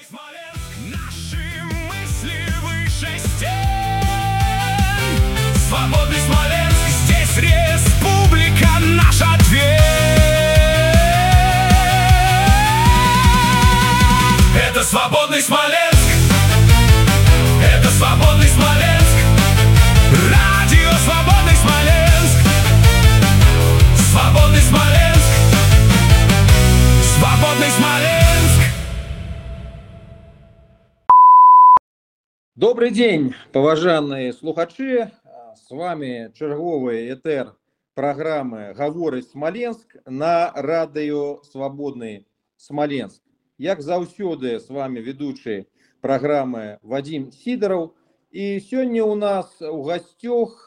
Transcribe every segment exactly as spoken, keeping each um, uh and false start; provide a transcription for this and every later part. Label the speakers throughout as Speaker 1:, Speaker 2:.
Speaker 1: Смоленск, наши мысли выше стен. Свободный Смоленск, здесь республика, наш ответ. Это свободный Смоленск, это свободный Смоленск, радио Свободный Смоленск, свободный Смоленск, свободный Смоленск.
Speaker 2: Добрый день, поважанные слухачи. С вами черговый этер программы «Говорить Смоленск» на радио «Свободный Смоленск». Як заўсёды, с вами ведущий программы Вадим Сидоров. И сегодня у нас у гостях,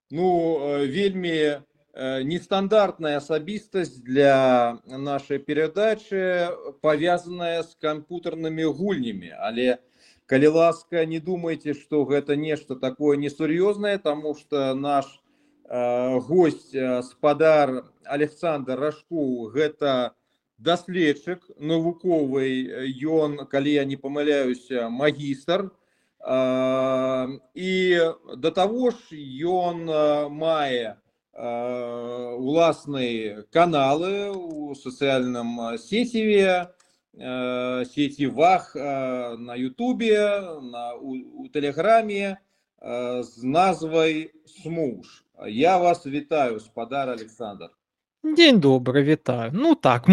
Speaker 2: ну, вельми нестандартная асабістасць для нашей передачи, повязанная с компьютерными гульнями. Але калі ласка, не думайте, что это нечто такое несур'ёзнае, потому что наш э, гость, э, спадар Александр Рашкоў, гэта даследчык навуковы, ён, калі я не памыляюсь, магістр. Э, и до того ж, ён мае э, уласныя каналы у сацыяльным сеціве, сетевах, на ютубе, на, у, у телеграме с назвой «Смуж». Я вас вітаю, спадар Александр.
Speaker 3: Дзень добры, вітаю. Ну так,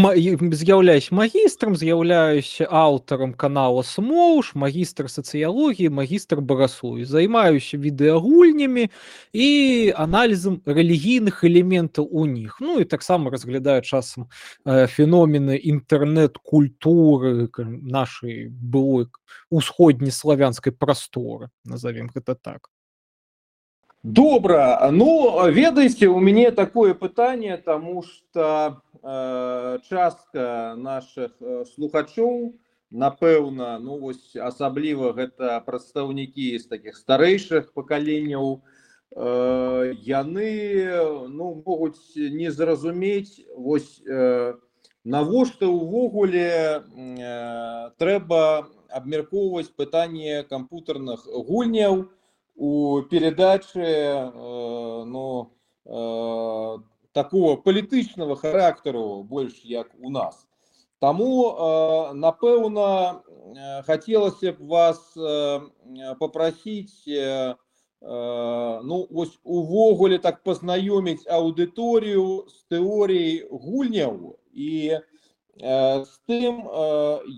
Speaker 3: з'яўляюсь магістрам, з'яўляюся аўтарам канала «Смоўж», магістр сацыялогіі, магістр бараслові. Займаюся відэагульнямі і аналізам рэлігійных элементаў у них. Ну і таксама разглядаю часам э, феномены інтэрнэт-культуры нашай былой усходнеславянскай прасторы, назовем гэта так.
Speaker 2: Добра. Ну, ведаеце, у мяне такое пытанне, тому что э, частка наших слухачоў, напэўна, ну вось асабліва гэта прадстаўнікі з такіх старэйшых пакаленняў, э, яны, ну, могуць не зразумець, вось э, навошта ўвогуле э, трэба абмяркоўваць пытанне камп'ютарных гульняў у передаче э, ну, э, такого палітычнага характеру, больш як у нас. Таму, э, напэўна, э, хацелася б вас э, попросить, э, э, ну, ось увогуле так пазнаёміць аўдыторыю з тэорыяй гульняў і з тым,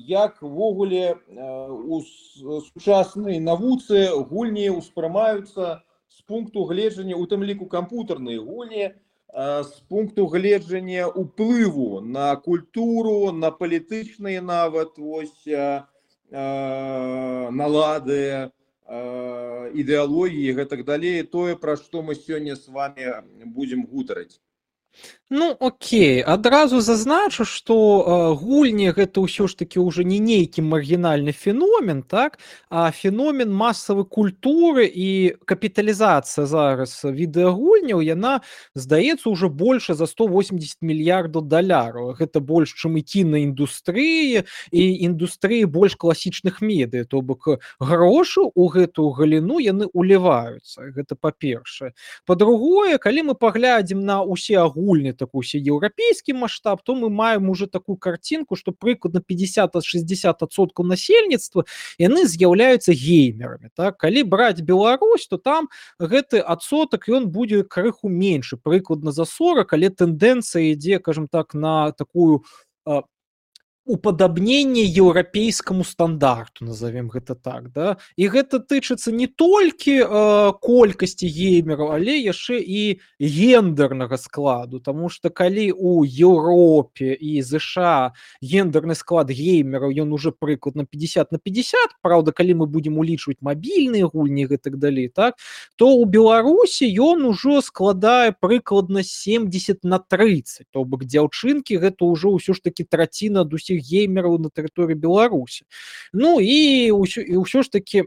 Speaker 2: як ввогуле у сучаснай навуцы гульні ўспрымаюцца з пункту гледжання, у тым ліку камп'ютарныя гульні, з пункту гледжання ўплыву на культуру, на палітычныя нават ось налады, ідэалогіі і гэтак далей, тое, пра што мы сёння з вами будзем гутарыць.
Speaker 3: Ну, окей, адразу зазначу, што э, гульні гэта ўсё ж таки уже не нейкі маргінальны феномен, так, а феномен масавай культуры, і капіталізацыя зараз відэагульняў, яна, здаецца, уже больше за сто восемьдесят мільярдаў даляраў. Гэта больш, чым і кінаіндустрыі, і індустрыі больш класічных медыа, то бок грошы ў гэтую галіну яны уліваюцца. Гэта па-першае. Па-другое, калі мы паглядзім на ўсе агульні такой еўрапейскі маштаб, то мы маем уже такую картинку, что прыкладна пятьдесят-шестьдесят адсоткаў насельніцтва яны з'яўляюцца геймерамі. Так? Калі браць Беларусь, то там гэты адсотак ён будзе крыху меншы, прыкладна за сорок, але тэндэнцыя ідзе, кажам так, на такую а, уподабненне еўрапейскаму стандарту, назовем гэта так, да? І гэта тычыцца не толькі э, колькасці геймераў, але яшчэ і гендернага складу, таму што калі у Еўропе і ЗША гендерны склад геймераў ён уже прыкладна пятьдесят на пятьдесят, праўда, калі мы будзем улічваць мабільныя гульні і гэтак далей, так, то ў Беларусі ён ужо складае прыкладна семьдесят на тридцать, то бок дзяўчынкі гэта ўжо ўсё ж таки траціна ад усіх усіх геймераў на тэрыторыі Беларусі. Ну і ўсё, і ўсё ж таки,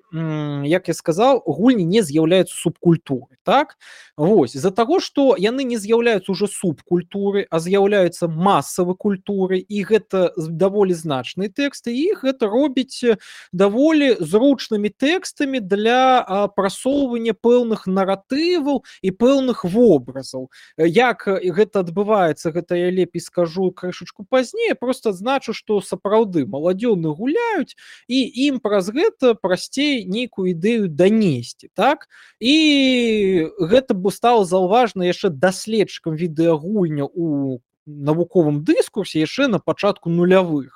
Speaker 3: як я сказаў, гульні не з'яўляюцца субкультурай, так? Вось, з-за таго, што яны не з'яўляюцца ўжо субкультурай, а з'яўляюцца масавай культурай, і гэта даволі значныя тэксты, і гэта робіць даволі зручнымі тэкстамі для а, прасоўвання пэўных наратываў і пэўных вобразаў. Як гэта адбываецца, гэта я лепей скажу крышачку пазней, просто адзначу, што сапраўды маладзёны гуляюць, і ім праз гэта прасцей нейкую ідэю данесці, так? І гэта бы стала заўважна яшчэ даследчыкам відэагульня у навуковым дыскурсе яшчэ на пачатку нулявых.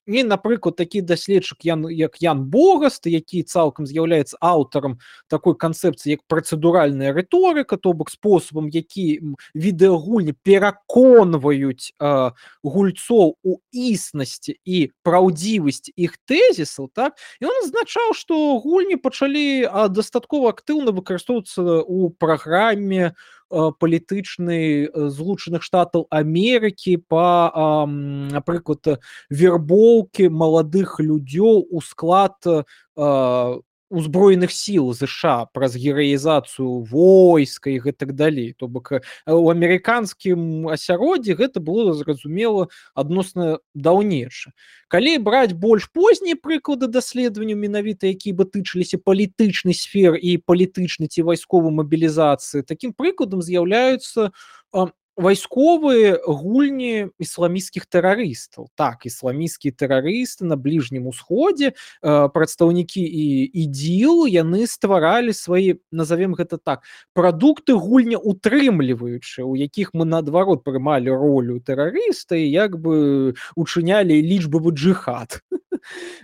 Speaker 3: І, напрыклад, такі даследчык, Ян, як Ян Богаст, які цалкам з'яўляецца аўтарам такой канцэпцыі, як працэдуральная рыторыка, то бок спосабам, які відэагульні пераконваюць э, гульцоў у існасці і праўдзівасці іх тэзісаў, так? І ён азначаў, што гульні пачалі а, дастаткова актыўна выкарыстоўвацца ў праграме палітычнай Злучаных Штатаў Амерыкі па, напрыклад, вербоўкі маладых людзёў у склад узброеных сіл ЗША праз гераізацыю войска і гэтак далей. То бок у амерыканскім асяроддзі гэта было зразумела адносна даўнейша. Калі браць больш познія прыклады даследаванняў, менавіта якія бы тычыліся палітычнай сферы і палітычнай ці вайсковай мабілізацыі, такім прыкладам з'яўляюцца вайсковыя гульні ісламісцкіх тэрарыстаў. Так, ісламісцкія тэрарысты на Бліжнім Усходзе, прадстаўнікі і ідзіл, яны стваралі свае, назовем гэта так, прадукты гульня утрымліваючыя, у якіх мы наадварот прымалі ролю тэрарыста і як бы учынялі лічбавы джыхад.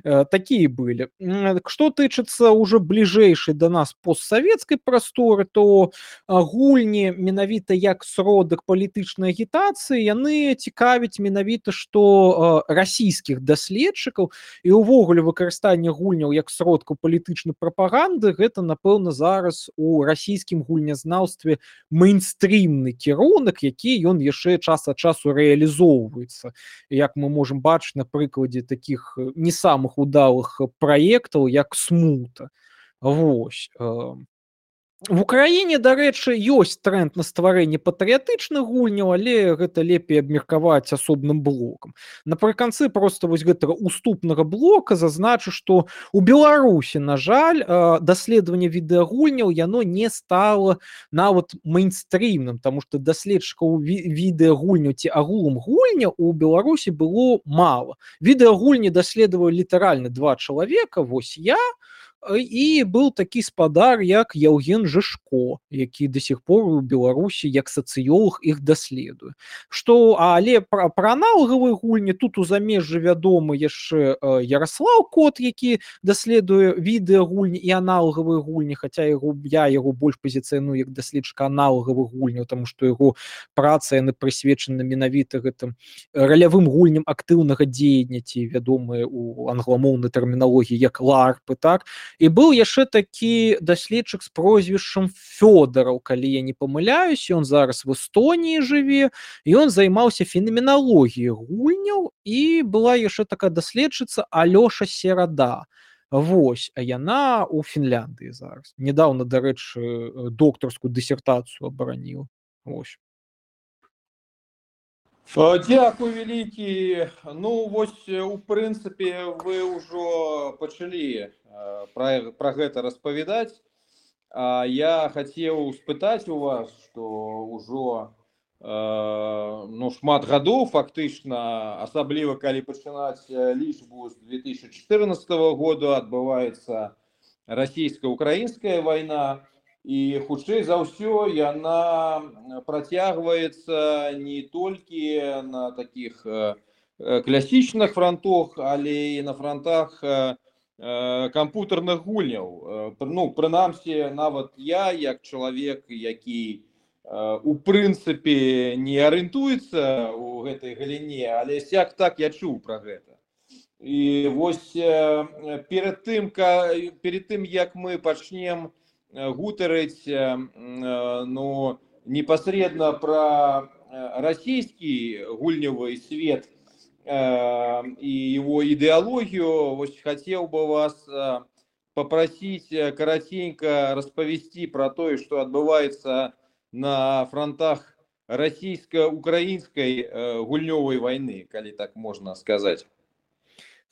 Speaker 3: Такія былі. Што тычыцца ўжо бліжэйшай да нас постсавецкай прасторы, то гульні менавіта як сродак палітычнай агітацыі, яны цікавяць менавіта што расійскіх даследчыкаў, і ўвогуле выкарыстанне гульняў як сродкаў палітычнай прапаганды, гэта, напэўна, зараз у расійскім гульнязнаўстве мейнстрімны кірунак, які ён яшчэ час ад часу рэалізоўваецца. Як мы можам бачыць на прыкладзе такіх не самых удалых праектаў, як Смута. Вось. В Украіне, дарэчы, ёсць тренд на стварэнне патрыятычных гульняў, але гэта лепей абмеркаваць асобным блокам. Напрыканцы проста вось гэтага уступнага блока зазначу, што у Беларусі, на жаль, даследаванне відэагульняў яно не стала нават мейнстрімным, таму што даследчыкаў відэагульняў ці агулам гульня у Беларусі было мала. Відэагульні даследавалі літаральна два чалавека, вось я, і быў такі спадар, як Яўген Жышко, які да сих пор у Беларусі як сацыёлог іх даследуе. Што, але пра, пра аналагавыя гульні тут у замежжы вядомы яшчэ Яраслаў Кот, які даследуе відэагульні і аналагавыя гульні, хаця яго, я яго больш пазіцыяную як даследчыка аналагавых гульняў, таму што яго праца яны прысвечаны менавіта гэтым ралявым гульням актыўнага дзеяння, ці вядомыя у англамоўнай тэрміналогіі як ларпы, так? І быў яшчэ такі даследчык з прозвішчам Фёдараў, калі я не памыляюсь, ён зараз в Эстоніі жыве, і ён займаўся фенаменалогіяй гульняў, і была яшчэ такая даследчыца Алёша Серада. Вось, а яна у Фінляндыі зараз. Недаўна, дарэчы, доктарскую дысертацыю абараніла. Вось.
Speaker 2: Дякую вялікі. Ну вось у прынцыпе вы ўжо пачалі пра, пра гэта распавядаць. А я хацеў спытаць у вас, што ўжо э, ну, шмат гадоў фактычна, асабліва калі пачынаць лічбу з две тысячи чатырнаццатага года, адбываецца расійска-украінская вайна. І хутчэй за ўсё яна працягваецца не толькі на такіх класічных фронтах, але і на фронтах камп'ютарных гульняў. Ну, прынамсі, нават я, як чалавек, які у прынцыпе не арыентуецца ў гэтай галіне, але сяк так я чуў пра гэта. І вось перед тым, перед тым як мы пачнем гутарыць ну, непасрэдна пра расійскі гульнявы свет, э, и его идеологию. Вот хотел бы вас э, попросить э, коротенько расповести про то, что отбывается на фронтах российско-украинской э, гульнёвой войны, коли так можно сказать.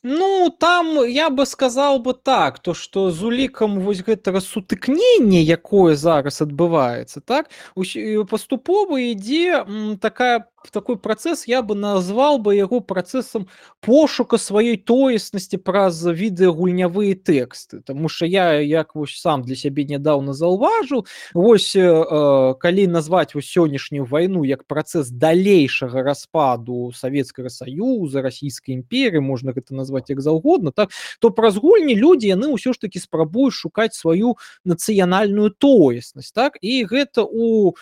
Speaker 3: Ну, там я бы сказал бы так, то што з улікам вось гэтага сутыкнення, якое зараз адбываецца, так, усь- і паступова ідзе м, такая такой працэс, я бы назвал бы яго працэсам пошука сваёй тоеснасці праз відэагульнявыя тэксты. Таму што я як вось сам для сябе нядаўна заўважыў, вось э, э, калі назваць вось сённяшнюю вайну як працэс далейшага распаду Савецкага Саюза, Расійскай імперіі, можна гэта назваць як заўгодна, так, то праз гульні людзі яны ўсё ж такі спрабуюць шукаць сваю нацыянальную тоеснасць, так, і гэта у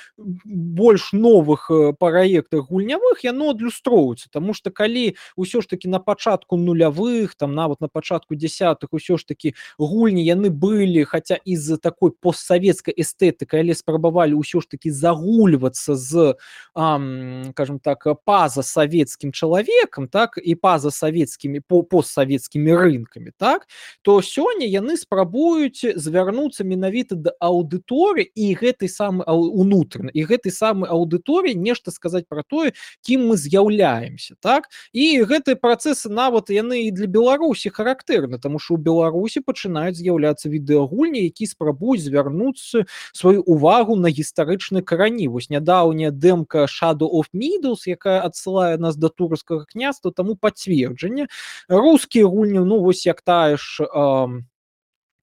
Speaker 3: больш новых э, праектах гульнявых яно адлюстроўваецца, таму што калі ўсё ж такі на пачатку нулявых, там нават на пачатку дзясятых усё ж такі гульні яны былі, хаця і з такой постсавецкай эстэтыкай, але спрабавалі ўсё ж такі загульвацца з, ам, скажем так, пазасавецкім чалавекам, так, і пазасавецкімі по постсавецкімі рынкамі, так, то сёння яны спрабуюць звярнуцца менавіта да аўдыторыі і гэтай самай унутрана і гэтай самай аўдыторыі нешта сказаць пра тое, кім мы з'яўляемся, так, і гэтыя працэсы нават яны і для Беларусі характэрны, таму што ў Беларусі пачынаюць з'яўляцца відэагульні, які спрабуюць звярнуцца сваю увагу на гістарычныя карані. Вось нядаўняя дэмка Shadow of Meadows, якая адсылае нас да Турскага княства, таму пацверджанне. Рускія гульні, ну вось як тая ж ам,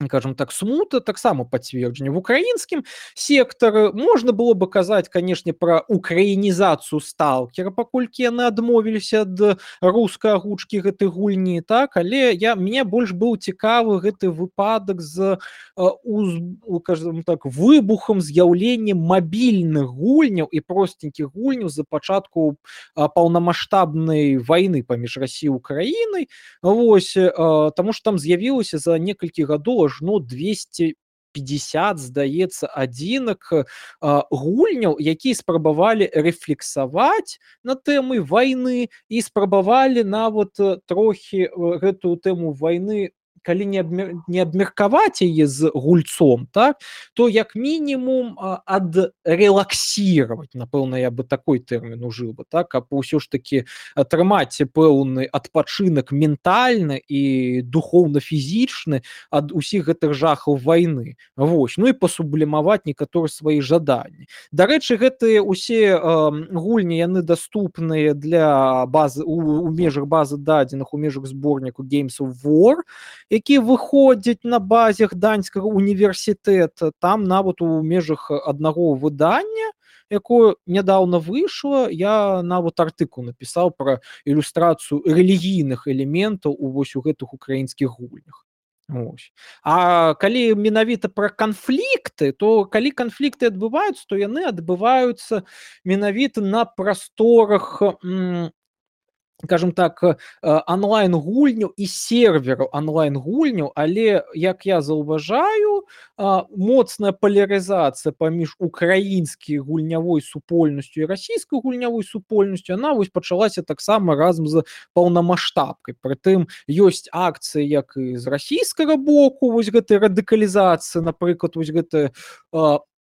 Speaker 3: скажем так, смута таксама пацверджанне. В украінскім сектары можна было бы казаць, канешне, пра украінізацыю сталкера, паколькі яны адмовіліся ад рускай агучкі гэтай гульні, так, але я мне больш быў цікавы гэты выпадак з э, уз, скажем так, выбухам, з'яўленнем мабільных гульняў і простенькіх гульняў за пачатку э, паўнамаштабнай вайны паміж Расіяй і Украінай. Вось, э, таму што там з'явілася за некалькі гадоў ажно двести пятьдесят, здаецца, адзінак э, гульняў, якія спрабавалі рэфлексаваць на тэмы вайны і спрабавалі нават э, трохі э, гэтую тэму вайны, калі не, абмер... не абмеркаваць яе з гульцом, так, то як мінімум адрелаксіраваць, напэўна, я бы такой тэрмін ужыў бы, так, каб усё ж такі атрымаць пэўны адпачынак ментальны і духоўна-фізічны ад усіх гэтых жахаў вайны. Вось, ну і пасублімаваць некаторыя свае жаданні. Дарэчы, гэтыя усе э, гульні яны даступныя для базы у, у межах базы дадзеных, у межах зборніку Games of War, які выходзяць на базе Гданьскага універсітэта. Там нават у межах аднаго выдання, якое нядаўна выйшла, я нават артыкул напісаў пра ілюстрацыю рэлігійных элементаў у вось у гэтых украінскіх гульнях. Ось. А калі менавіта пра канфлікты, то калі канфлікты адбываюцца, то яны адбываюцца менавіта на прасторах м, скажем так, онлайн-гульняў і сервераў онлайн-гульняў, але, як я заўважаю, моцная палярызацыя паміж украінскай гульнявой супольнасцю і расійскай гульнявой супольнасцю, яна вось пачалася таксама разам з паўнамаштабкай. Прытым ёсць акцыі як і з расійскага боку, вось гэтай радыкалізацыі, напрыклад, вось гэта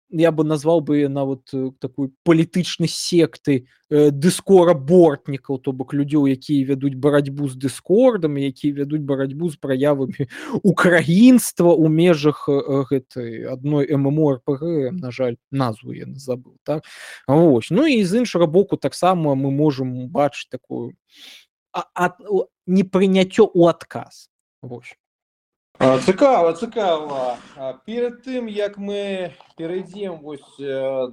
Speaker 3: я бы назвал бы нават такой палітычнай секты э, дыскора-бортнікаў, то бок людзей, якія вядуць барацьбу з дыскордам, якія вядуць барацьбу з праявамі украінства ў межах э, гэтай адной MMORPG, на жаль, назву я забыл, так? Вось. Ну і з іншага боку таксама мы можам бачыць такую а, а, непрыняццё ў адказ. Вось.
Speaker 2: Цікава, цікава. Перед тим, як ми перейдемо ось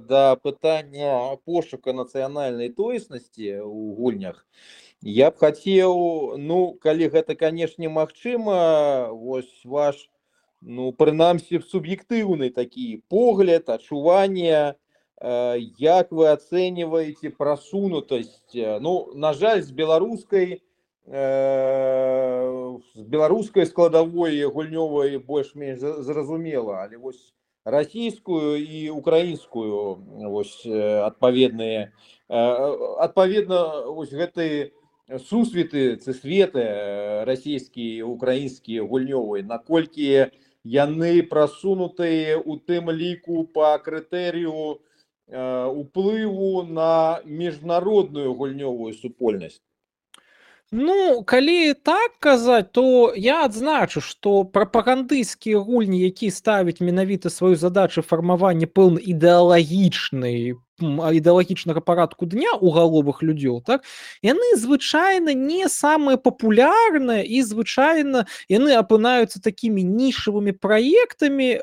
Speaker 2: до питання пошуку національної тоєсності у гульнях, я б хотів, ну, коли гэта, конечно, магчыма, ось ваш, ну, принамсі, суб'єктивний такий погляд, адчування, як ви оцінюєте просунутость, ну, на жаль, з беларускай з беларускай складовой гульнёвай больш-менш зразумела, але вось расійскую і украінскую вось адпаведныя адпаведна вось гэты сусветы ці светы расійскія, украінскія гульнёвыя, наколькі яны прасунутыя у тым ліку па крытэрыю уплыву на міжнародную гульнёвую супольнасць?
Speaker 3: Ну, калі так казаць, то я адзначу, што прапагандысцкія гульні, якія ставяць менавіта сваю задачу фармавання пэўна ідэалагічнай ідэалагічнага парадку дня ў галовах людзей, так, яны звычайна не самыя папулярныя і звычайна яны апынаюцца такімі нішавымі праектамі,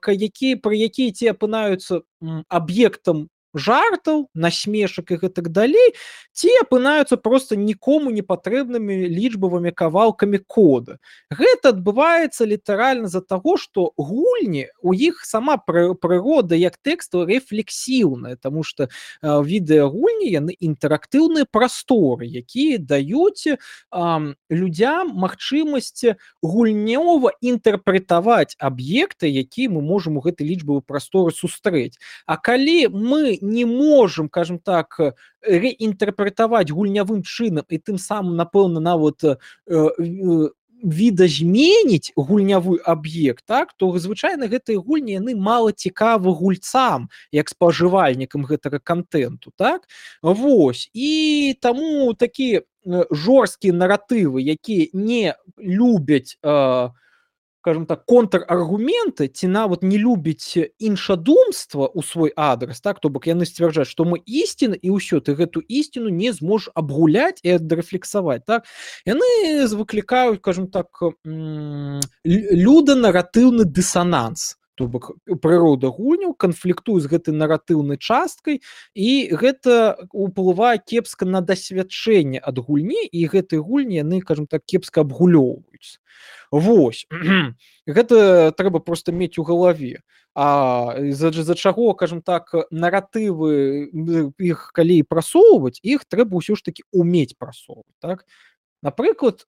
Speaker 3: якія пры якія ці апынаюцца аб'ектам жартаў, насмешак і гэтак далей, ці апынаюцца проста нікому не патрэбнымі лічбавымі кавалкамі кода. Гэта адбываецца літаральна з-за таго, што гульні, у іх сама прырода як тэксту рэфлексіўная, таму што відэагульні яны інтэрактыўныя прасторы, якія даюць людзям магчымасць гульнёва інтэрпрэтаваць аб'екты, якія мы можам у гэтай лічбавай прасторы сустрэць. А калі мы не можам, кажам так, рэінтэрпрэтаваць гульнявым чынам і тым самым, напэўна, нават э, э, відазменіць гульнявы аб'ект, так, то звычайна гэтыя гульні яны мала цікавы гульцам, як спажывальнікам гэтага контенту, так? Вось. І таму такія жорсткія наратывы, якія не любяць э, скажем так, контраргументы, ці нават не любіць іншадумства ў свой адрас, так, то бок яны сцвярджаюць, што мы ісціна, і ўсё, ты гэту ісціну не зможаш абгуляць і адрэфлексаваць, так. Яны выклікаюць, скажем так, люданаратыўны дысананс, то бок прырода гульняў канфліктуе з гэтай наратыўнай часткай, і гэта ўплывае кепска на дасвядчэнне ад гульні, і гэтыя гульні яны, скажем так, кепска абгулёўваюцца. Вось. Гэта трэба проста мець у галаве. А з-за чаго, кажам так, наратывы іх калі прасоўваць, іх трэба ўсё ж такі умець прасоўваць, так? Напрыклад,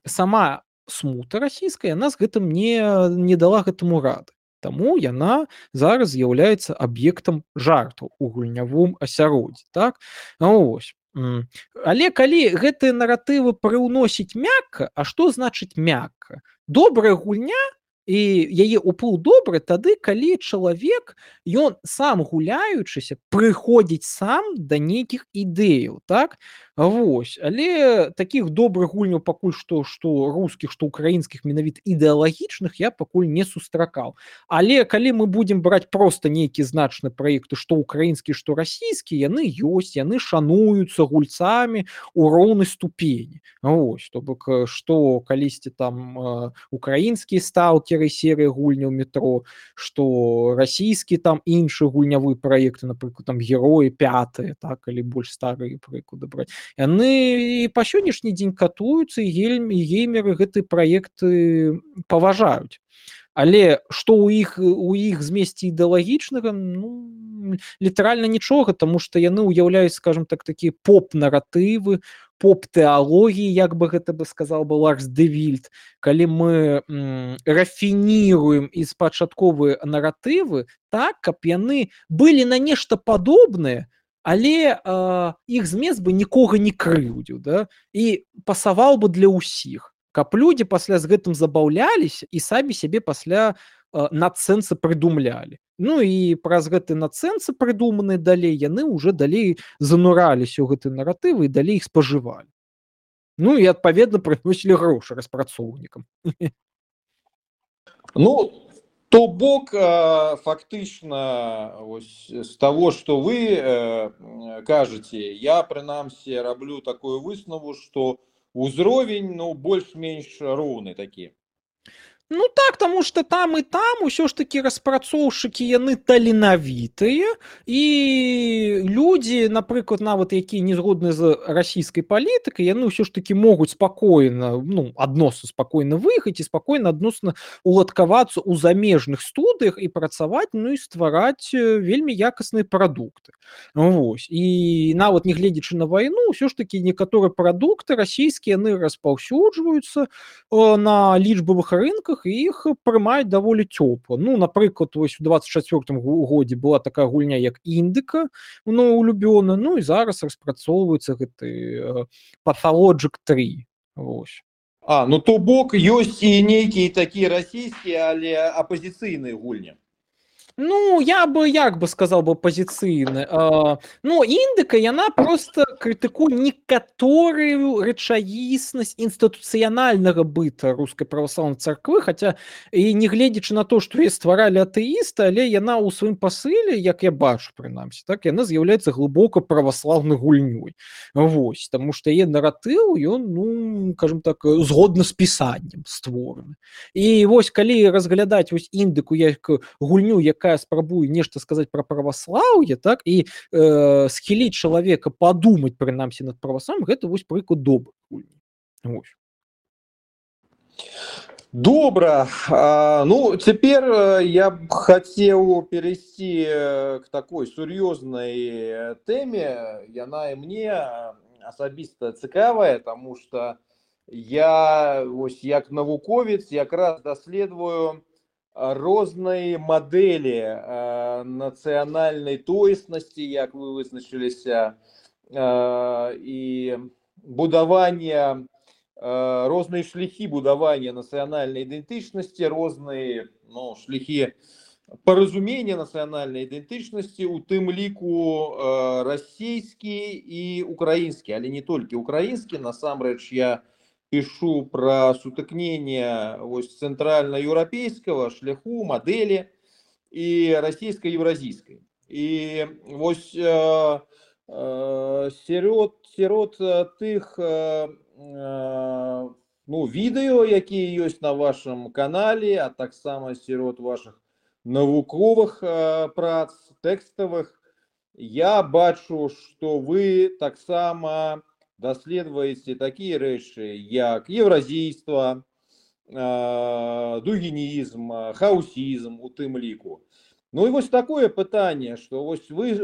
Speaker 3: сама смута расійская, яна з гэтым не, не дала гэтаму рады. Таму яна зараз з'яўляецца аб'ектам жартаў у гульнявым асяроддзі, так? Вось. Але калі гэтыя наратывы прыўносіць мякка, а што значыць мякка? Добрая гульня і яе ўплыў добры тады, калі чалавек, ён сам гуляючыся, прыходзіць сам да нейкіх ідэяў, так? Вось. Але такіх добрых гульняў пакуль што, што рускіх, што украінскіх, менавіта ідэалагічных, я пакуль не сустракаў. Але калі мы будзем браць проста нейкія значныя праекты, што украінскія, што расійскія, яны ёсць, яны шануюцца гульцамі ў роўнай ступені. Вось. То бок, што калісьці там украінскія сталкеры, серыя гульняў метро, што расійскі там іншы гульнявы праекты, напрыклад, там героі пятыя, так, калі больш старыя прыклады браць. Яны па сённяшні дзень катуюцца, і геймеры гэтыя праекты паважаюць. Але што ў іх, у іх змесце ідэалагічнага, ну, літаральна нічога, таму што яны ўяўляюць, скажем так, такія поп-наратывы, поп-тэалогіі, як бы гэта бы сказаў бы Ларс де Вільд, калі мы м, рафініруем і спачатковыя наратывы так, каб яны былі на нешта падобнае, але э, іх змест бы нікога не крыўдзіў, да? І пасаваў бы для ўсіх, каб людзі пасля з гэтым забаўляліся і самі сябе пасля э, надсэнсы прыдумлялі. Ну і праз гэты надсэнсы прыдуманыя далей, яны ўжо далей занураліся ў гэты наратывы і далей іх спажывалі. Ну і адпаведна прыносілі грошы распрацоўнікам.
Speaker 2: Ну, то бок, фактычна, з таго, што вы кажаце, я, прынамсі, раблю такую выснову, што ўзровень, ну, больш-менш роўны такі.
Speaker 3: Ну так, таму што там і там усё ж такі распрацоўшчыкі яны таленавітыя, і людзі, напрыклад, нават якія не згодны з расійскай палітыкай, яны ўсё ж такі могуць спакойна, ну, адносна спакойна выехаць і спакойна адносна уладкавацца ў замежных студыях і працаваць, ну і ствараць вельмі якасныя прадукты. Вось. І нават нягледзячы на вайну, ўсё ж такі некаторыя прадукты расійскія яны распаўсюджваюцца на лічбавых рынках, іншых, і іх прымаюць даволі цёпла. Ну, напрыклад, вось у двадцать чацвёртым годзе была такая гульня, як Індыка, мною улюбёна, ну і зараз распрацоўваецца гэты Pathologic три. Вось.
Speaker 2: А, ну то бок ёсць і нейкія такія расійскія, але апазіцыйныя гульні.
Speaker 3: Ну, я бы, як бы сказал бы, апозіцыйны. А, ну, Індыка, яна просто крытыкуе некаторую рэчаіснасць інстытуцыянальнага быта рускай праваслаўнай царквы, хаця і не гледзячы на то, што яе стваралі атэісты, але яна ў сваім пасыле, як я бачу, прынамсі, так, яна з'яўляецца глыбока праваслаўнай гульнёй. Вось, таму што яе наратыў, ён, ну, кажам так, згодна з пісаннем створаны. І вось, калі разглядаць вось Індыку як гульню, якая спрабуе нешта сказаць пра праваслаўе, так, і э, схіліць чалавека падумаць, прынамсі, над праваслаўем, гэта вось прыклад добрай гульні. Вось.
Speaker 2: Добра. А, ну, цяпер я б хацеў перайсці к такой сур'ёзнай тэме. Яна і мне асабіста цікавая, таму што я, вось, як навуковец, якраз даследую розныя мадэлі э, нацыянальнай тоеснасці, як вы вызначыліся, э, і будавання, э, розныя шляхі будавання нацыянальнай ідэнтычнасці, розныя, ну, шляхі паразумення нацыянальнай ідэнтычнасці, у тым ліку э, расійскі і украінскі, але не толькі украінскі. Насамрэч, я пишу про сутыкнение центральноевропейского шляху, модели и российско-евразийской. И вот э, э, сярод, сярод тых э, э, ну, відео, якія ёсць на вашем канале, а таксама сярод ваших навуковых э, прац, текстовых, я бачу, что вы таксама даследуеце такія рэчы, як еўразійства, дугінізм, хаусізм у тым ліку. Ну і вось такое пытанне, што вось вы,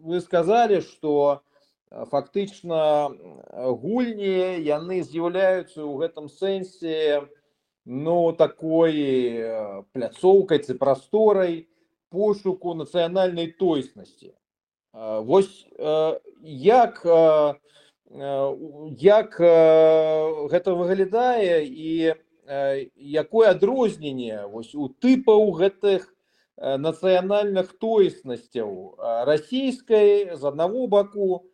Speaker 2: вы сказалі, што фактычна гульні, яны з'яўляюцца ў гэтым сэнсе, ну, такой пляцоўкай ці прасторай пошуку нацыянальнай тоеснасці. Вось як, як гэта выглядае і якое адрозненне вось у тыпаў гэтых нацыянальных тоеснасцяў расійскай з аднаго баку,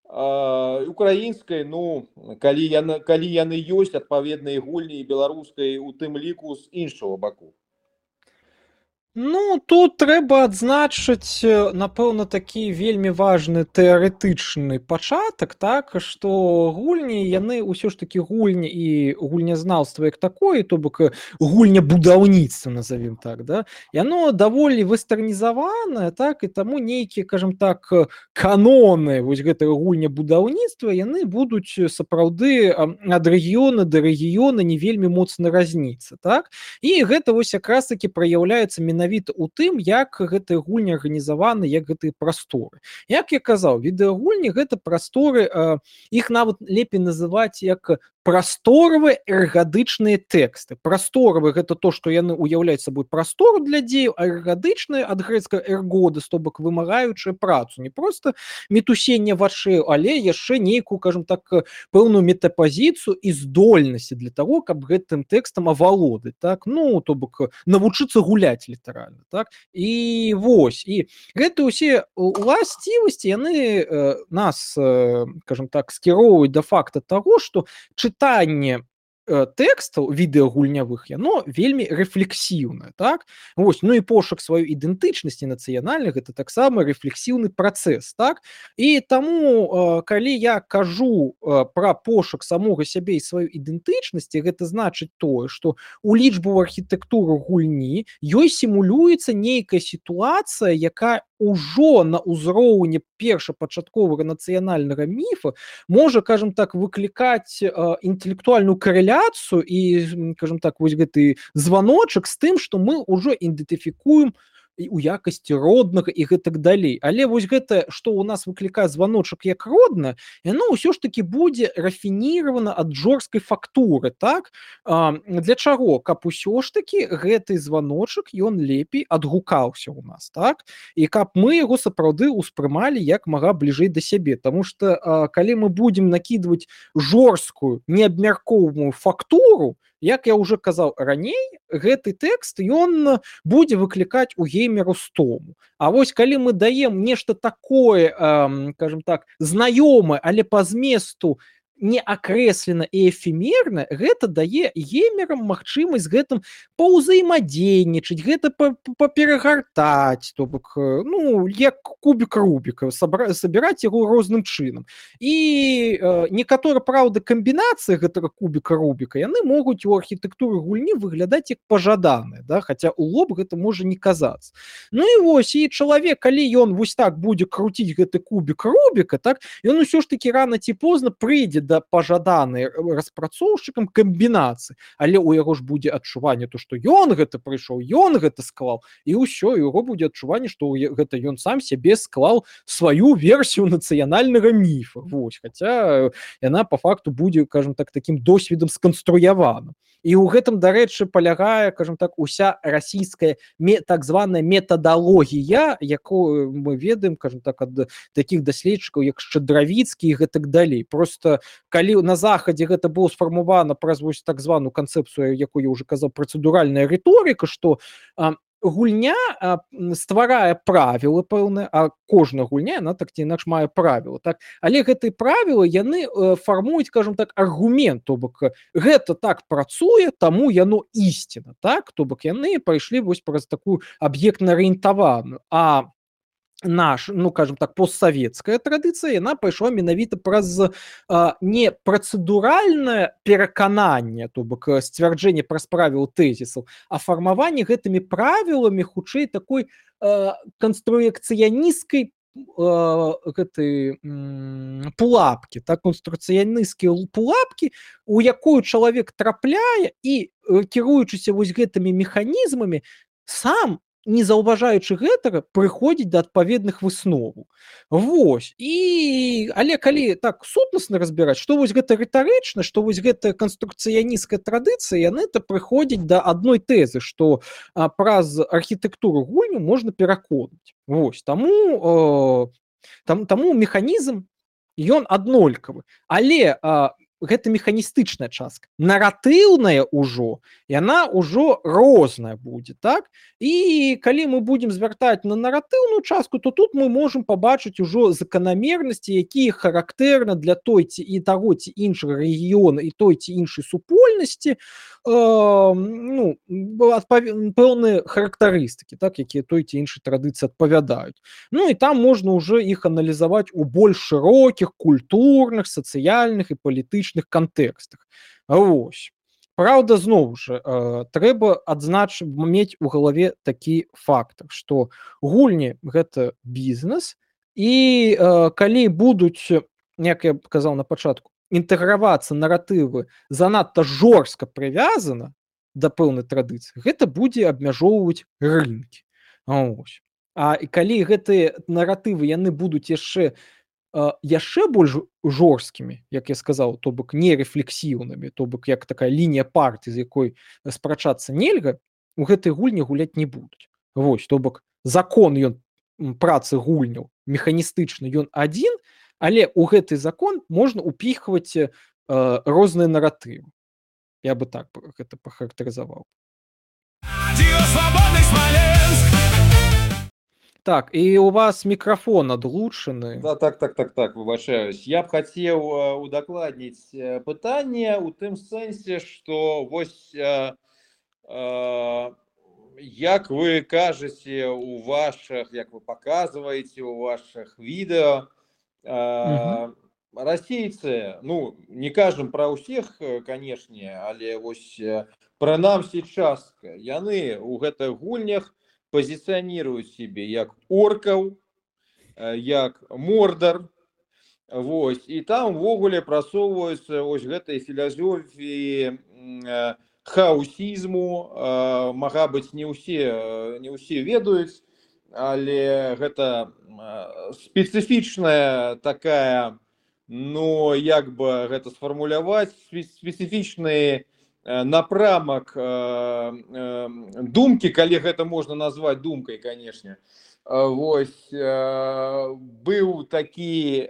Speaker 2: украінскай, ну, калі яны, калі яны ёсць адпаведныя гульні, і беларускай у тым ліку з іншага баку.
Speaker 3: Ну, тут трэба адзначыць, напэўна, такі вельмі важны тэарэтычны пачатак, так, што гульні, яны ўсё ж такі гульні і гульнязнаўства як такое, то бок гульня будаўніцтва, назовем так, да, яно даволі вестэрнізаванае, так, і таму нейкія, кажам так, каноны вось гэтага гульня будаўніцтва, яны будуць сапраўды ад рэгіёна да рэгіёна не вельмі моцна разніцца, так, і гэта вось якраз такі праяўляецца менавіта у тым, як гэтыя гульні арганізаваны, як гэтыя прасторы. Як я казаў, відэагульні гэта прасторы, э, іх нават лепей называць як прасторавыя эргадычныя тэксты. Прасторавы гэта то, што яны ўяўляюць сабой прастору для дзеяў, а эргадычныя ад грэцкага эргодас, то бок вымагаючыя працу. Не проста мітусенне вачэй, але яшчэ нейкую, кажам так, пэўную метапазіцыю і здольнасці для таго, каб гэтым тэкстам авалодаць, так, ну, то бок навучыцца гуляць літаральна, так. І вось, і гэта ўсе уласцівасці, яны э, нас, э, кажам так, скіроўваюць да факта таго, што чытанне тэкстаў відэагульнявых, яно вельмі рэфлексіўнае, так? Вось, ну і пошук сваёй ідэнтычнасці нацыянальнай, гэта таксама рэфлексіўны працэс, так? І таму, калі я кажу пра пошук самога сябе і сваёй ідэнтычнасці, гэта значыць тое, што у лічбавую архітэктуру гульні ёй сімулюецца нейкая сітуацыя, якая ўжо на ўзроўні першапачатковага нацыянальнага міфа можа, кажам так, выклікаць э, інтэлектуальную карэляцыю і, кажам так, вось гэты званочак з тым, што мы ўжо ідэнтыфікуем у якасці роднага і гэтак далей. Але вось гэта, што ў нас выклікае званочак як родна, яно ўсё ж таки будзе рафініравана ад жорсткай фактуры, так? А, для чаго? Каб усё ж таки гэты званочак ён лепей адгукаўся ў нас, так? І каб мы яго сапраўды ўспрымалі як мага бліжэй да сябе, таму што а, калі мы будзем накідваць жорсткую неабмяркоўную фактуру, як я уже казаў раней, гэты тэкст ён будзе выклікаць у геймеру стому. А вось калі мы даем нешта такое, э, скажем так, знаёмае, але па зместу не акрэслена і эфемерна, гэта дае геймерам магчымасць гэтым паўзаемадзейнічаць, гэта паперагартаць, то бок, ну, як кубік Рубіка, сабіраць яго розным чынам. І э, некаторыя, праўда, камбінацыі гэтага кубіка Рубіка, яны могуць у архітэктуры гульні выглядаць як пажаданыя, да? Хаця ў лоб гэта можа не казацца. Ну і вось, і чалавек, калі ён вось так будзе круціць гэты кубік Рубіка, так, ён усё ж такі рана ці позна прыйдзе да пажаданай распрацоўшчыкам камбінацыі, але ў яго ж будзе адчуванне то, што ён гэта прыйшоў, ён гэта склаў, і ўсё, і яго будзе адчуванне, што гэта ён сам сябе склаў сваю версію нацыянальнага міфа. Вось, хаця яна па факту будзе, кажам так, такім досведам сканструявана. І ў гэтым, дарэчы, палягае, кажам так, уся расійская так званая метадалогія, якую мы ведаем, кажам так, ад такіх даследчыкаў, як Шчадравіцкі і гэтак далей. Просто калі на захадзе гэта было сфармавана праз вось так званую канцэпцыю, якую я уже казаў, працэдуральная рыторыка, што а, гульня а, стварае правілы пэўныя, а кожная гульня, яна так ці інакш мае правілы, так? Але гэтыя правілы, яны э, фармуюць, кажам так, аргумент, то бок гэта так працуе, таму яно ісціна, так? То бок яны пайшлі вось праз такую аб'ектна-арыентаваную, а наш, ну, кажем так, постсавецкая традыцыя, яна пайшла менавіта праз а, не працэдуральнае перакананне, то бок сцвярджэнне праз правілы тэзісаў, а фармаванне гэтымі правіламі хутчэй такой а, канструекцыяністкай гэтай пулапкі, так, конструкцыянісцкія пулапкі, у якую чалавек трапляе і, кіруючыся вось гэтымі механізмамі, сам не заўважаючы гэтага, прыходзіць да адпаведных высноваў. Вось. І... Але калі так сутнасна разбіраць, што вось гэта рытарычна, што вось гэта канструкцыянісцкая традыцыя, яны то прыходзяць да адной тэзы, што а, праз архітэктуру гульню можна пераконаць. Вось. Таму, э, там, таму механізм, ён аднолькавы. Але а, гэта механістычная частка. Наратыўная ўжо, яна ўжо розная будзе, так? І калі мы будзем звяртаць на наратыўную частку, то тут мы можам пабачыць ужо заканамернасці, якія характэрна для той ці і таго ці іншага рэгіёна і той ці іншай супольнасці, э, ну, пэўныя характарыстыкі, так, якія той ці іншай традыцыі адпавядаюць. Ну і там можна ўжо іх аналізаваць у больш шырокіх культурных, сацыяльных і палітычных кантэкстах. Вось. Праўда, зноў жа, э, трэба адзначыць, мець у галаве такі фактар, што гульні гэта бізнес, і э, калі будуць, як я казаў на пачатку, інтэгравацца наратывы занадта жорстка прывязана да пэўнай традыцыі, гэта будзе абмяжоўваць рынкі. Ось. А калі гэтыя наратывы яны будуць яшчэ яшчэ больш жорсткімі, як я сказаў, то бок нерефлексіўнымі, то бок як такая лінія партыі, з якой спрачацца нельга, у гэтай гульні гуляць не будуць. Вось, то бок закон ён працы гульняў механістычны, ён адзін, але ў гэты закон можна упіхваць э, розныя наратывы. Я бы так гэта пахарактарызаваў.
Speaker 1: Радио Свободный Смоленск.
Speaker 3: Так, і у вас мікрафон адлучаны.
Speaker 2: Да, так, так, так, так, выбачаюсь. Я б хацеў удакладніць пытанне ў тым сэнсе, што вось э, э, як вы кажаце у ваших, як вы показваеце у ваших відэо, э, угу. Расейцы, ну, не кажам пра ўсіх, канешне, але вось прынамсі частка, яны ў гэтых гульнях позиционируют себе як оркаў, як мордар, вось, і там ввогуле прасоўваюцца вось гэтай філасофіі хаусізму, мага быць не ўсе, не ўсе ведаюць, але гэта спецыфічная такая, ну як бы гэта сфармуляваць, спецыфічны напрамак думкі, калі гэта можна назваць думкай, канешне. Вось быў такі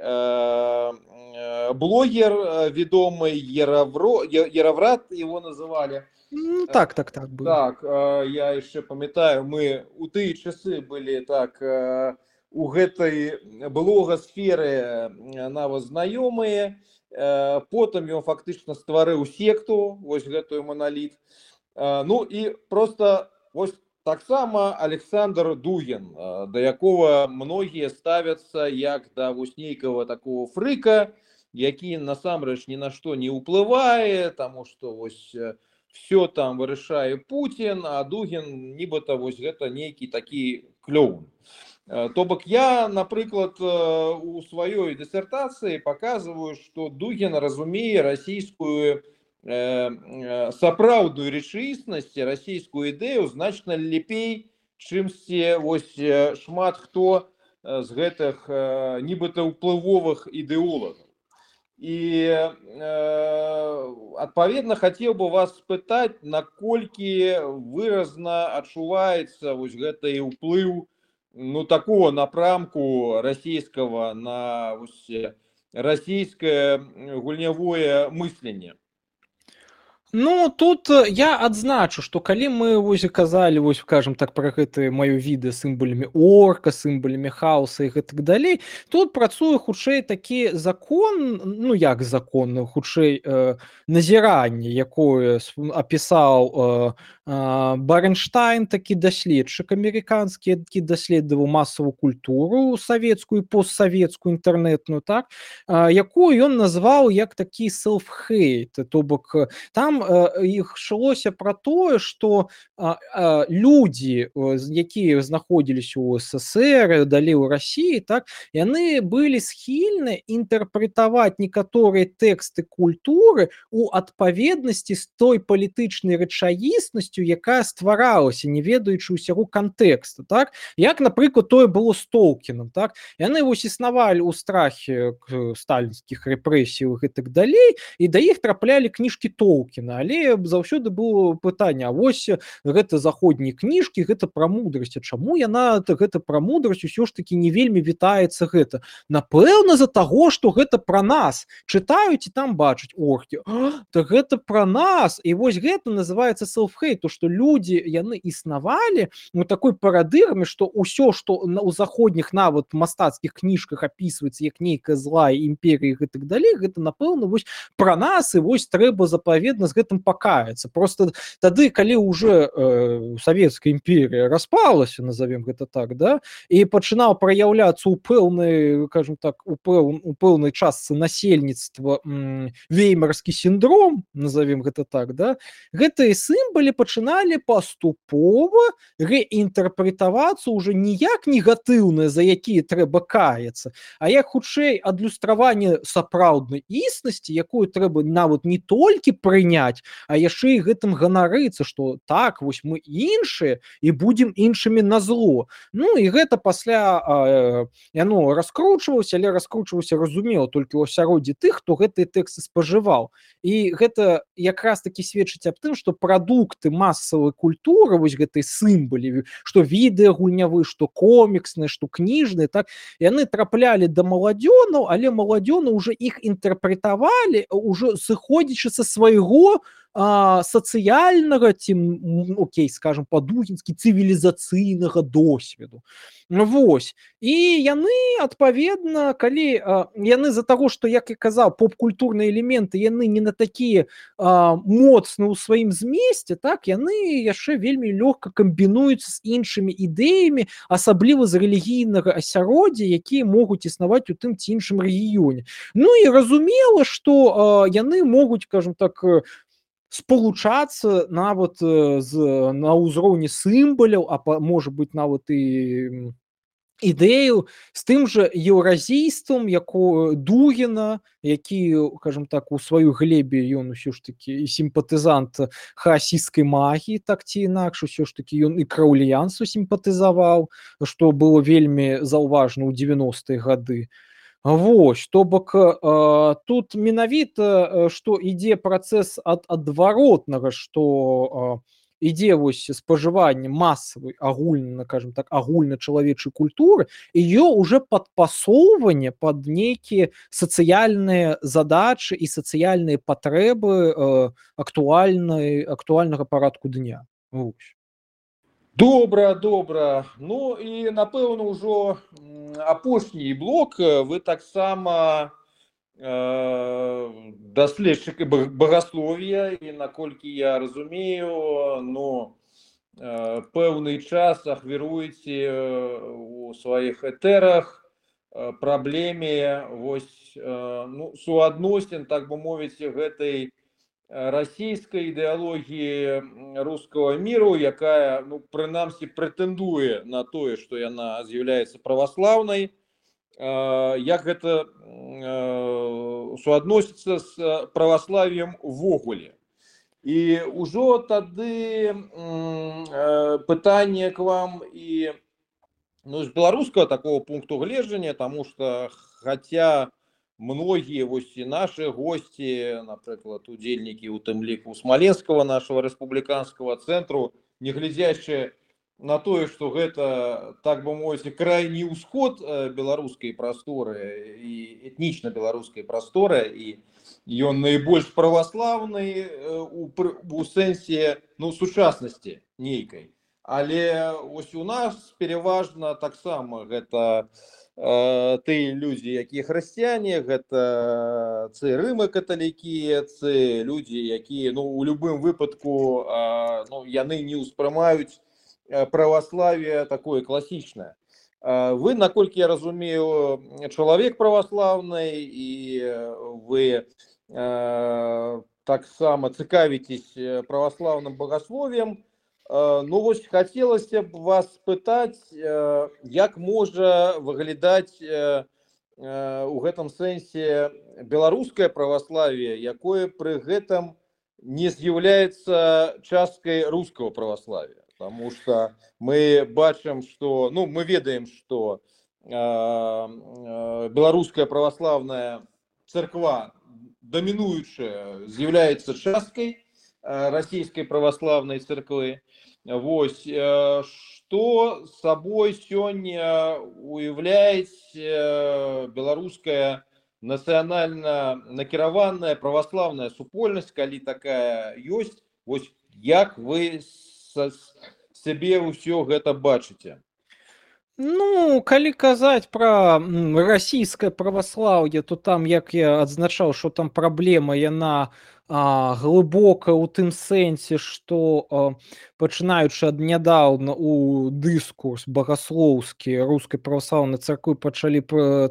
Speaker 2: блогер вядомы Ераврат, его называлі.
Speaker 3: Ну, так, так, так. Было.
Speaker 2: Так, я яшчэ памятаю, мы у тыя часы былі так у гэтай блогасферы нават знаёмыя. Потым ён фактычна стварыў секту, вось гэтую Монолит. Ну і просто вось таксама Александр Дугин, да якога многія ставяцца як да вось нейкага такого фрыка, які насамрэч ні на што не ўплывае, таму што вось все там вырашае Путін, а Дугин нібыта вось гэта нейкі такі клоун. То бок я, напрыклад, у сваёй дысертацыі паказваю, што Дугин разумее расійскую сапраўдную рэчаіснасць, расійскую ідэю значна лепей, чымсьці вось шмат хто з гэтых нібыта ўплывовых ідэолагаў. І адпаведна хацеў бы вас спытаць, наколькі выразна адчуваецца вось гэты ўплыў, ну такого напрамку расійскага на вось расійскае гульнявое мысленне.
Speaker 3: Ну, тут я адзначу, што калі мы вось казалі, вось, скажем так, пра гэтыя маё відэа сімвалямі орка, сімвалямі хаоса і гэтак далей, тут працуе хутчэй такі закон, ну як закон, хутчэй э, назіранне, якое апісаў э, э, Баренштайн, такі даследчык амерыканскі, які даследаваў масавую культуру савецкую, постсавецкую, інтэрнетную, так, э, якую ён назваў як такі self-hate, то бок там іх шлося пра тое, што людзі, якія знаходзіліся ў СССР, далей у Расіі, так, яны былі схільны інтэрпрэтаваць некаторыя тэксты культуры у адпаведнасці з той палітычнай рэчаіснасцю, якая стваралася, не ведаючы ўсяго кантэкста, так, як, напрыклад, тое было з Толкінам, так, яны вось існавалі ў страхе сталінскіх рэпрэсій і так далей, і да іх траплялі кніжкі Толкіна, але заўсёды было пытанне, а вось гэта заходнія кніжкі, гэта пра мудрасць, а чаму яна гэта пра мудрасць усё ж такі не вельмі вітаецца гэта? Напэўна, з-за таго, што гэта пра нас. Чытаюць і там бачаць оркі. Так гэта пра нас. І вось гэта называецца self-hate, то што людзі, яны існавалі у такой парадыгме, што ўсё, што ў заходніх нават мастацкіх кніжках апісваецца як нейкая злая імперія і гэтак далей, гэта, напэўна, вось пра нас, і вось трэба запаведна з гэтым пакаяцца. Просто тады, калі ўжо э, Савецкая імперія распалася, назовем гэта так, да, і пачынаў праяўляцца ў пэўнай, кажем так, у, пэў, у пэўнай частцы насельніцтва м, веймарскі сіндром, назовем гэта так, да, гэтыя сімвалы пачыналі паступова рэінтэрпрэтавацца ўжо не як негатыўныя, за якія трэба каяцца, а як хутчэй адлюстраванне сапраўднай існасці, якую трэба нават не толькі прыняць, а яшчэ і гэтым ганарыцца, што так, вось мы іншыя і будзем іншымі на зло. Ну і гэта пасля э, яно раскручвалася, але раскручвалася, разумела, толькі ў асяроддзі тых, хто гэтыя тэксты спажываў. І гэта якраз такі сведчыць аб тым, што прадукты масавай культуры, вось гэтай сімвалі, што відэа гульнявы, што коміксныя, што кніжныя, так, яны траплялі да маладзёнаў, але маладзёны ўжо іх інтэрпрэтавалі, ўжо сыходзячы са свайго а, сацыяльнага ці, окей, скажем, па-дугінскі цывілізацыйнага досведу. Вось. І яны, адпаведна, калі а, яны з-за таго, што, як я казаў, поп-культурныя элементы, яны не на такія а, моцны ў сваім змесце, так, яны яшчэ вельмі лёгка камбінуюцца з іншымі ідэямі, асабліва з рэлігійнага асяроддзя, якія могуць існаваць у тым ці іншым рэгіёне. Ну і разумела, што а, яны могуць, скажем так, спалучацца нават з, на ўзроўні сімваляў, а па, можа быць нават і ідэю з тым жа еўразійствам, якое Дугіна, які, скажем так, у сваёй глебе ён усё ж такі і сімпатызант хаасісцкай магіі, так ці інакш, усё ж такі ён і краўліянству сімпатызаваў, што было вельмі заўважна ў дзевяностыя гады. Вось, то бок э, тут менавіта, што ідзе працэс ад адваротнага, што э, ідзе вось спажыванне масавай агульна, кажам так, агульначалавечай культуры, і ее уже падпасоўванне пад нейкія сацыяльныя задачы і сацыяльныя патрэбы э, актуальнай актуальнага парадку дня. Вось.
Speaker 2: Добра, добра. Ну і напэўна ўжо апошні блок вы таксама э, даследчык багаслов'я, і наколькі я разумею, ну э, пэўны час ахвяруеце у сваіх этэрах праблеме вось э, ну, суадносін, так бы мовіць, гэтай расійскай ідэалогіі рускага міру, якая, ну, прынамсі, прэтэндуе на тое, што яна з'яўляецца праваслаўнай. Як гэта суадносіцца з праваславіем увогуле. І ўжо тады пытанне к вам і ну, з беларускага такого пункту гледжання, таму што хаця многие вось і наши гости, напрыклад, удзельнікі у тым ліку Смоленского нашего республиканского центру, не глядзячы на тое, што гэта, так бы мовіць, крайні ўсход беларускай прасторы і этнічна беларускай прасторы, і ён найбольш праваслаўны у, у сэнсе, ну, сучаснасці нейкай. Але ось у нас пераважна таксама гэта тыя людзі, якія хрысціяне, гэта цы рыма-каталікі, цы людзі, якія, ну, у любым выпадку, ну, яны не ўспрымаюць праваславие такое класічнае. Вы, наколькі я разумею, чалавек праваслаўны, і вы таксама цікавіцесь праваслаўным багасловием. Ну, вось хацелася б вас спытаць, як можа выглядаць у гэтым сэнсе беларускае праваславие, якое пры гэтым не з'яўляецца часткай рускага праваславия. Потому что мы бачым, што, ну, мы ведаем, што беларуская праваслаўная царква дамінуючая з'яўляецца часткай расійскай праваслаўнай царквы. Вось, што сабой сёння уяўляць беларуская нацыянальна накіраваная праваслаўная супольнасць, калі такая ёсць, вось як вы сябе ўсё гэта бачыце?
Speaker 3: Ну, калі казаць пра расійскае праваслаўе, то там, як я адзначаў, што там праблема, яна а, глыбокая ў тым сэнсе, што а, пачынаючы ад нядаўна у дыскурс багаслоўскі рускай праваслаўнай царквы пачалі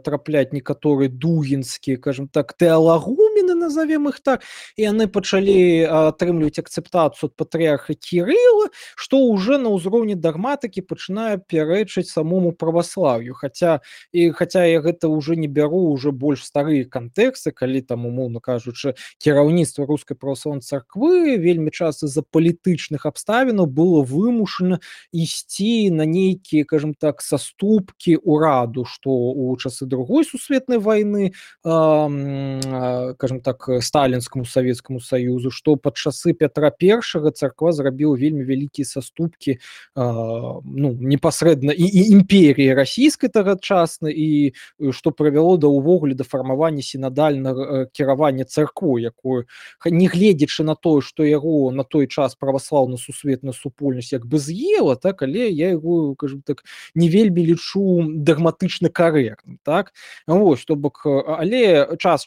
Speaker 3: трапляць некаторыя дугінскія, кажам так, тэалагумены, назовем іх так, і яны пачалі атрымліваць акцэптацыю ад патрыарха Кірыла, што ўжо на ўзроўні дагматыкі пачынае пярэчыць самому праваслаўю. Хаця, і, хаця я гэта ўжо не бяру ўжо больш старыя кантэксты, калі там, умоўна кажучы, кіраўніцтва рускай праваслаўнай царквы вельмі часта з-за палітычных абставінаў было вымушана ісці на нейкія, кажам так, саступкі ўраду, што ў часы другой сусветнай вайны, э, кажам так, сталінскаму савецкаму саюзу, што пад часы Пятра Першага царква зрабіла вельмі вялікія саступкі, э, ну, непасрэдна і, і імперіі расійскай тагачаснай, і што прывяло да ўвогуле да фармавання сінадальнага кіравання царквой, якое, не гледзячы на тое, што яго на той час праваслаўна-сусветная супольнасць як бы з'ела, так, але я яго, кажам так, не вельмі лічу дагматычна карэктным, так. Вось, то бок, але час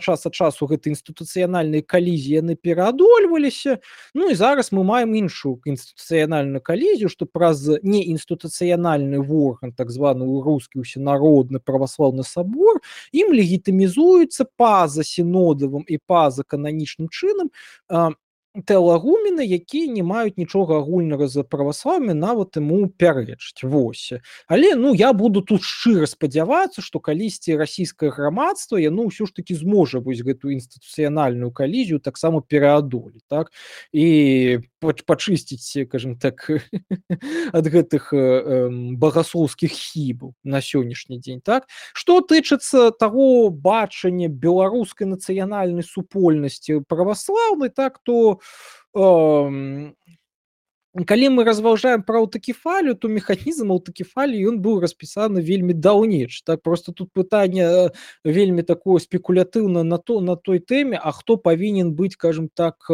Speaker 3: час ад часу гэты інстытуцыянальныя калізіі яны пераадольваліся. Ну і зараз мы маем іншую інстытуцыянальную калізію, што праз неінстытуцыянальны орган, так званы рускі усенародны праваслаўны сабор, ім легітымізуецца па-за сінодавым і па-за кананічным чынам тэалагумены, якія не маюць нічога агульнага за праваслаўе, нават ему пярэчыць. Вось. Але ну я буду тут шчыра спадзявацца, што калісьці расійскае грамадства яно ўсё ж таки зможа вось гэтую інстытуцыянальную калізію таксама пераадолець, так, і пачысціць, скажем так, ад гэтых э, багаслоўскіх хібаў на сённяшні дзень, так. Што тычыцца таго бачання беларускай нацыянальнай супольнасці праваслаўнай, так, то Эм, калі мы разважаем пра аўтакефалію, то механізм аўтакефаліі ён быў распісаны вельмі даўнейш. Так, просто тут пытанне вельмі такое спекулятыўна на то на той тэме, а хто павінен быць, скажем так,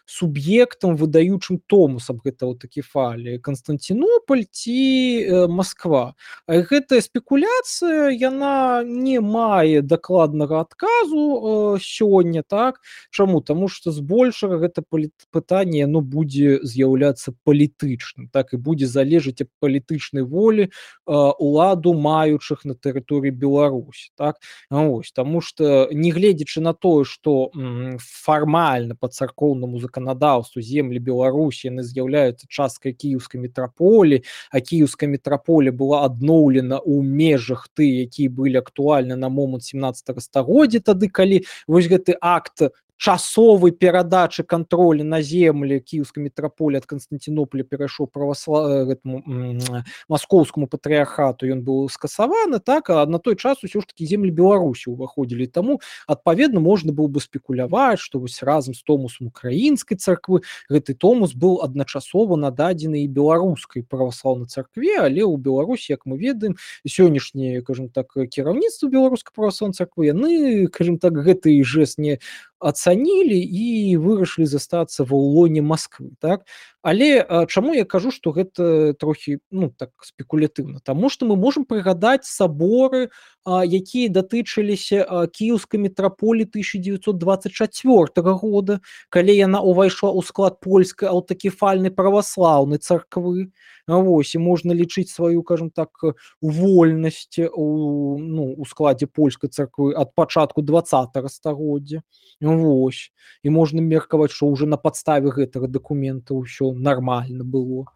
Speaker 3: суб'ектам, выдаючым томус аб гэта аўтакефаліі, Канстанцінополь ці Масква. А гэтая спекуляцыя яна не мае дакладнага адказу сёння, так. Чаму? Таму што збольшага гэта пытанне яно будзе з'яўляцца палітычным, так, і будзе залежыць ад палітычнай волі э, уладу маючых на тэрыторыі Беларусі, так. Ось, таму што нягледзячы на тое, што фармальна па царкоўнаму заканадаўству землі Беларусі яны з'яўляюцца часткай кіеўскай метраполі, а кіеўская метраполія была адноўлена ў межах ты, якія былі актуальны на момант семнаццатага стагоддзя, тады калі вось гэты акт часовай перадачы кантролю на землі кіеўскай метраполіі ад Канстанцінополя перайшоў праваслав... маскоўскаму патрыярхату, ён быў скасаваны, так, а на той час усё ж такі землі Беларусі ўваходзілі. Таму адпаведна можна было бы спекуляваць, што вось разам з томусам украінскай царквы гэты томус быў адначасова нададзены і беларускай праваслаўнай царкве, але ў Беларусі, як мы ведаем, сённяшняе, скажем так, кіраўніцтва беларускай праваслаўнай царквы яны, скажем так, гэты жэст не ацанілі і вырашылі застацца ва ўлоне Масквы, так. Але а, чаму я кажу, што гэта трохі, ну, так спекулятыўна? Таму што мы можам прыгадаць саборы, а, якія датычыліся а, кіеўскай метраполіі тысяча дзевяцьсот дваццаць чацвёртага года, калі яна ўвайшла ў склад польскай аўтакефальнай праваслаўнай царквы. Вось, і можна лічыць сваю, скажем так, вольнасць у, ну, у складзе польскай царквы ад пачатку дваццатага стагоддзя. Вось. І можна меркаваць, што ўжо на падставе гэтага дакумента ўсё нармальна было.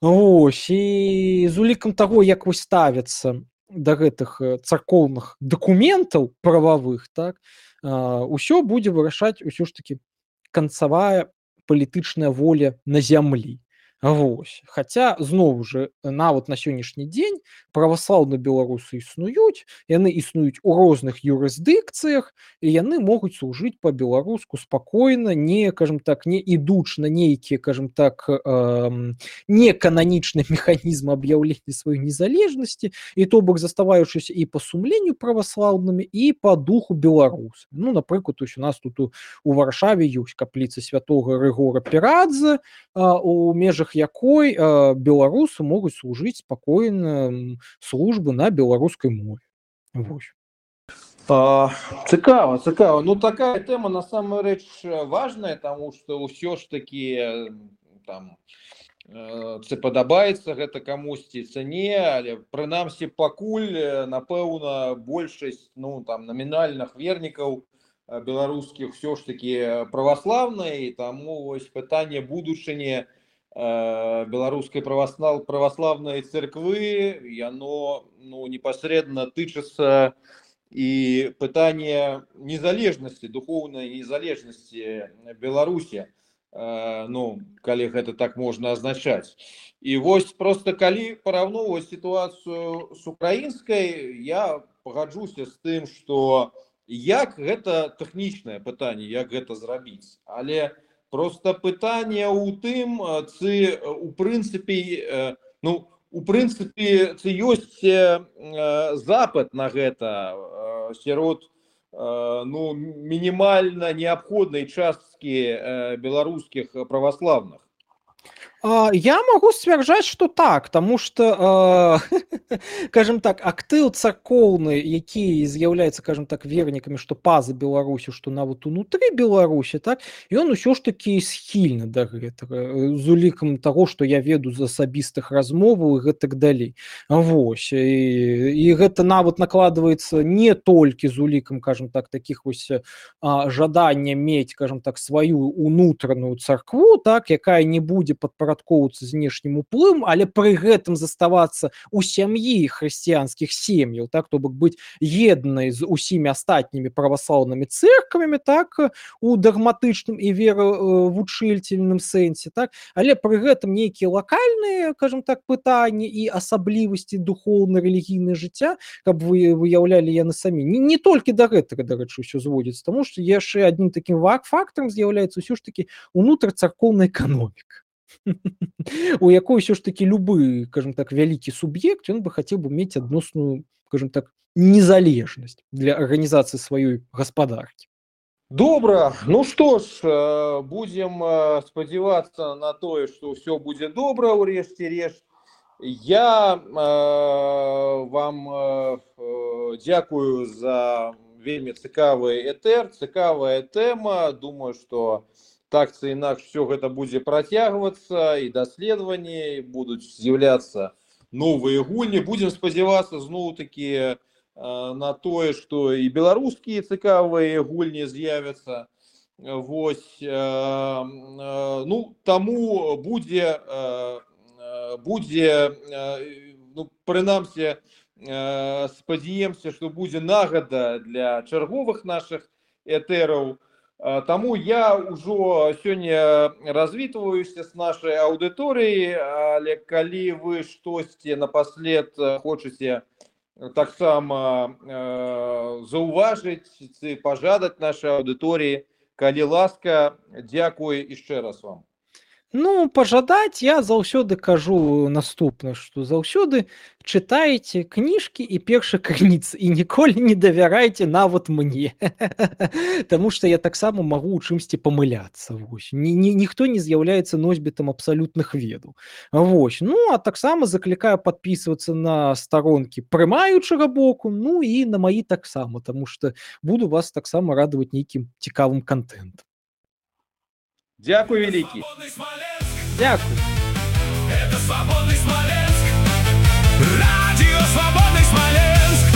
Speaker 3: Вось. І з улікам таго, як вось ставяцца да гэтых царкоўных дакументаў прававых, так, усё будзе вырашаць усё ж такі канцавая палітычная воля на зямлі. Вось. Хаця, зноў жа, нават на сённяшні дзень праваслаўныя беларусы існуюць, яны існуюць у розных юрысдыкцыях, і яны могуць служыць па-беларуску спакойна, не, скажем так, не ідучы на нейкія, скажем так, э, некананічны механізм аб'яўлення сваёй незалежнасці, і то бок заставаючыся і па сумленню праваслаўнымі, і па духу беларусам. Ну, напрыклад, у нас тут у, у Варшаве ёсць капліца святога Рыгора Перадзе, у межах якой э, беларусы могуць служыць спакойна службы на беларускай мове. Вось.
Speaker 2: А, цікава, цікава. Ну, такая тэма насамрэч важная, таму што ўсё ж такі там ці падабаецца гэта камусьці ці не, але прынамсі пакуль, напэўна, большасць, ну, там, намінальных вернікаў беларускіх ўсё ж такі праваслаўныя, і таму вось пытанне будучыні беларускай праваслав... праваславнай царквы, яно, ну, непасрэдна тычыцца і пытання незалежнасці, духоўнай незалежнасці Беларусі, ну, калі гэта так можна азначаць. І вось проста калі параўноўваць сітуацыю з украінскай, я пагаджуся з тым, што як гэта тэхнічнае пытанне, як гэта зрабіць, але просто пытанне ў тым, ці у прынцыпе, ну, у прынцыпе, ці ёсць запыт на гэта сярод, ну, мінімальна неабходнай часткі беларускіх праваслаўных.
Speaker 3: А, Я могу сцвярджаць, што так, таму што, скажем так, актыў царкоўны, які з'яўляецца, скажем так, вернікамі, што па-за Беларусю, што нават унутры Беларусі, так, ён усё ж такі схільны да гэтага, з улікам таго, што я ведаю з асабістых размоваў і гэтак далей. Вось, і, і гэта нават накладваецца не толькі з улікам, скажем так, такіх вось а, жадання мець, скажем так, сваю унутраную царкву, так, якая не будзе падпарадкоўвацца знешнім уплывам, але пры гэтым заставацца ў сям'і хрысціянскіх сем'яў, так, то бок быць еднай з усімі астатнімі праваслаўнымі цэрквамі, так, у дагматычным і веравучыльным сэнсе, так, але пры гэтым нейкія лакальныя, скажем так, пытанні і асаблівасці духоўна-рэлігійнае жыцця, каб вы выяўлялі яны самі. Не, не толькі да гэтага, дарэчы, ўсё зводзіцца, таму што яшчэ аднім такім фактарам з'яўляецца ўсё ж такі унутрацаркоўная эканоміка, у якой ўсё ж такі любы, скажем так, вялікі суб'ект, ён бы хацеў бы мець адносную, скажем так, незалежнасць для арганізацыі сваёй гаспадаркі.
Speaker 2: Добра, ну што ж, будзем спадзявацца на тое, што ўсё будзе добра ў рэшце рэшт. Я э, вам э, дзякую за вельмі цікавы этэр, цікавая тэма. Думаю, што так ці інакш все гэта будзе працягвацца, і даследаванні будуць з'яўляцца новыя гульні. Будзем спадзявацца зноў-такі на тое, што і беларускія цікавыя гульні з'явяцца. Вось, ну, таму будзе, будзе, ну, прынамсі, спадзяемся, што будзе нагада для чарговых нашых этэраў. Таму я ўжо сёння развітваюся з нашай аўдыторыяй, але калі вы штосьці напаслед хочаце таксама заўважыць ці пажадаць нашай аўдыторыі, калі ласка, дзякуй яшчэ раз вам.
Speaker 3: Ну, пажадаць я заўсёды кажу наступна, што заўсёды чытайце кніжкі і першы крыніцы і ніколі не давярайце нават мне. Таму што я таксама магу ў чымсьці памыляцца. Вось. Ні, ні, ніхто не з'яўляецца носьбітам абсалютных ведаў. Вось. Ну, а таксама заклікаю падпісвацца на старонкі прымаючага боку, ну і на маі таксама, таму што буду вас таксама радаваць нейкім цікавым контентам.
Speaker 2: Дякую вялікі.
Speaker 3: Дякую.
Speaker 1: Это свободный Смоленск. Радио Свободный Смоленск.